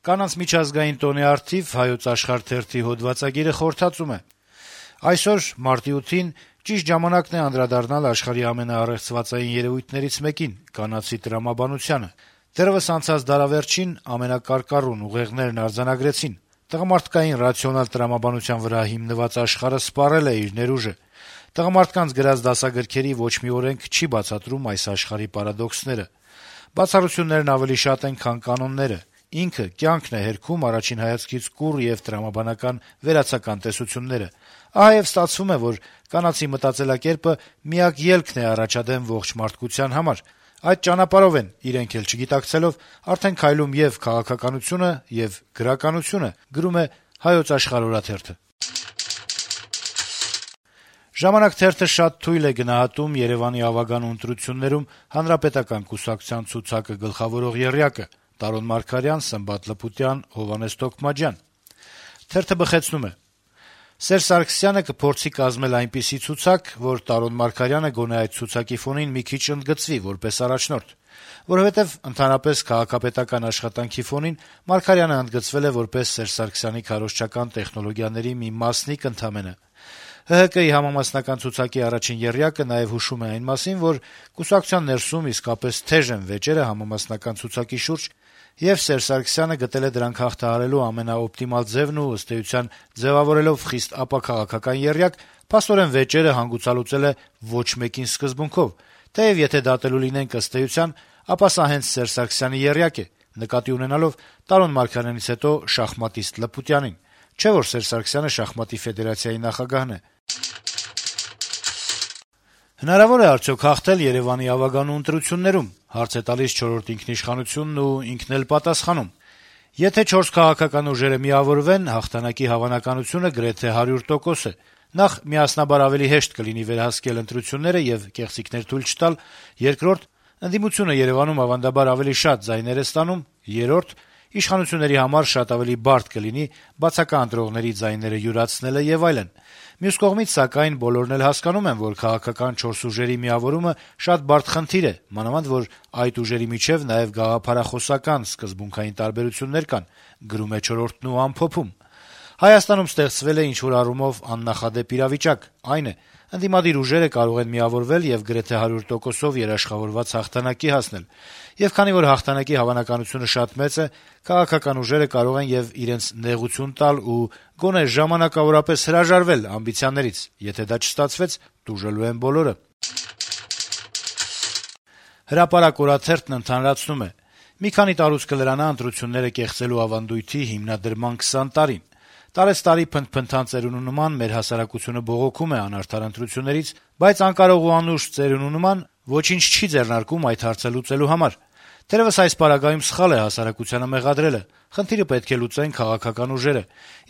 Կանանց միջազգային տոնի առթիվ Հայոց Աշխարհ թերթի հոդվածագիրը խորհրդածում է. այսօր մարտի 8-ին ճիշտ ժամանակն է անդրադառնալ աշխարհի ամենաառեղծվածային երեւույթներից մեկին՝ կանացի տրամաբանությանը։ Դեռեւս անցած դարավերջին ամենակարկառուն ուղեղներն արձանագրեցին. տղամարդկային ռացիոնալ տրամաբանության վրա հիմնված աշխարհը սպառել է իր ներուժը։ Տղամարդկանց գրած դասագրքերի ոչ մի օրենք չի բացատրում այս աշխարհի պարադոքսները։ Բացառություններն ավելի շատ են, քան կանոնները։ Ինքը կյանքն է հերքում առաջին հայացքից կուռ եւ տրամաբանական վերացական տեսությունները։ Ահա եւ ստացվում է, որ կանացի մտածելակերպը միակ ելքն է առաջադեմ ողջ մարդկության համար։ Այդ ճանապարհով են, իրենք էլ չգիտակցելով, արդեն քայլում եւ քաղաքականությունը, եւ գրականությունը, գրում է Հայոց Աշխարհ օրաթերթը։ «Ժամանակ» թերթը շատ թույլ է գնահատում Երեւանի ավագան ընտրություններում հանրապետական կուսակցության ցուցակը գլխավորող եռյակը՝ Տարոն Մարգարյան, Սմբատ Լպուտյան, Հովհաննես Թոքմաջյան։ Թերթը բխեցնում է. - Սերժ Սարգսյանը կփորձի կազմել այնպիսի ցուցակ, որ Տարոն Մարգարյանը գոնե այդ ցուցակի ֆոնին մի քիչ ընդգծվի որպես առաջնորդ, որովհետեւ ընդհանրապես քաղաքապետական աշխատանքի ֆոնին Մարգարյանը ընդգծվել է որպես Սերժ Սարգսյանի քարոզչական տեխնոլոգիաների մի մասնիկ ընդամենը։ ՀՀԿ-ի համամասնական ցուցակի առաջին եռյակը նաեւ հուշում է այն մասին, որ կուսակցության ներսում իսկապես թեժ են վեճերը համամասնական ցուցակի շուրջ, եւ Սերժ Սարգսյանը գտել է դրանք հաղթահարելու ամենաօպտիմալ ձևն ու ըստ էության ձեւավորելով խիստ ապաքաղաքական եռյակ, փաստորեն վեճերը հանգուցալուծել է ոչ մեկին սկզբունքով, թեեւ եթե դատելու լինենք ըստ էության, ապա սա հենց Սերժ Սարգսյանի եռյակ է, նկատի ունենալով Տարոն Մարգարյանից հետո շախմատիստ Լպուտյանին, չէ՞ որ Սերժ Սարգսյանը շախմատի ֆեդերացիայի նախագահն է։ Հնարավոր է արդյոք հաղթել Երեւանի ավագանու ընտրություններում, հարց է տալիս «Չորրորդ ինքնիշխանությունն» ու ինքն էլ պատասխանում. - Եթե 4 քաղաքական ուժերը միավորվեն, հաղթանակի հավանականությունը գրեթե 100% է։ Նախ, միասնաբար ավելի հեշտ կլինի վերահսկել ընտրությունները եւ կեղծիքներ թույլ չտալ, երկրորդ, ընդդիմությունը Երեւանում ավանդաբար ավելի շատ ձայներ է ստանում, երրորդ, իշխանությունների համար շատ ավելի բարդ կլինի բացակա ընտրողների ձայները յուրացնելը եւ այլն։ Մյուս կողմից, սակայն, բոլորն էլ հասկանում են, որ քաղաքական 4 ուժերի միավորումը շատ բարդ խնդիր է, մանավանդ որ այդ ուժերի միջեւ նաեւ գաղափարախոսական սկզբունքային տարբերություններ կան, գրում է «Չորրորդն» ու ամփոփում. - Հայաստանում ստեղծվել է ինչ-որ առումով աննախադեպ իրավիճակ, այն է, ընդդիմադիր ուժերը կարող են միավորվել եւ գրեթե 100%-ով երաշխավորված հաղթանակի հասնել, եւ քանի որ հաղթանակի հավանականությունը շատ մեծ է, քաղաքական ուժերը կարող են եւ իրենց նեղություն տալ ու գոնե ժամանակավորապես հրաժարվել ամբիցիաներից, եթե դա չստացվեց, տուժելու են բոլորը։ «Հրապարակ» օրաթերթն ընդհանրացնում է. - Մի քանի տարուց կլրանա ընտրությունները կեղծելու ավանդույթի հիմնադրման 20 տարին։ Տարեցտարի փնթփնթան ծերունու նման մեր հասարակությունը բողոքում է անարդար ընտրություններից, բայց անկարող ու անուշ ծերունու նման ոչինչ չի ձեռնարկում այդ հարցը լուծելու համար։ Թերեւս այս պարագայում սխալ է հասարակությանը մեղադրելը։ Խնդիրը պետք է լուծեն քաղաքական ուժերը։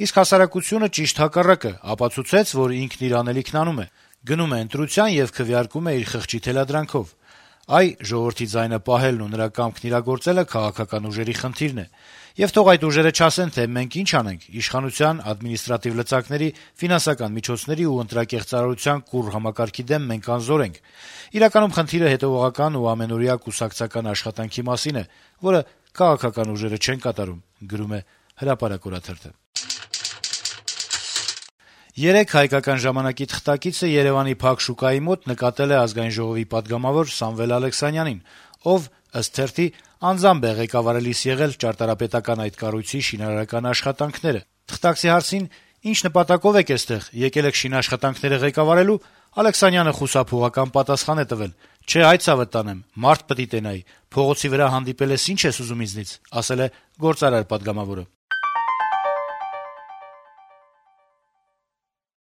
Իսկ հասարակությունը ճիշտ հակառակը ապացուցեց, որ ինքն իր անելիքն անում է, գնում է ընտրության եւ քվեարկում է իր խղճի թելադրանքով։ Այ ժողովրդի ձայնը պահելն ու նրա կամքն իրագործելը քաղաքական ուժերի խնդիրն է։ Եվ թող այդ ուժերը չասեն, թե մենք ինչ անենք, իշխանության, ադմինիստրատիվ լծակների, ֆինանսական միջոցների ու ընտրակեղծարարության կուռ համակարգի դեմ մենք անզոր ենք։ Իրականում խնդիրը հետեւողական ու ամենօրյա կուսակցական աշխատանքի մասին է, որը քաղաքական ուժերը չեն կատարում, գրում է «Հրապարակ» օրաթերթը։ Երեկ «Հայկական ժամանակ»-ի թղթակիցը Երեւանի Փակ շուկայի մոտ նկատել է Ազգային ժողովի պատգամավոր Սամվել Ալեքսանյանին, ով, ըստ թերթի, անձամբ է ղեկավարելիս եղել ճարտարապետական այդ կառույցի շինարարական աշխատանքները։ Թղթակցի հարցին, ինչ նպատակով եք էստեղ, եկել եք շինաշխատանքները ղեկավարելու, Ալեքսանյանը խուսափողական պատասխան է տվել. «Չէ, այդ ցավը տանեմ, մարդ պիտի տենայի, փողոցի վրա հանդիպել ես, ինչ ես ուզում ինձնից», ասել է գործարար պատգամավորը։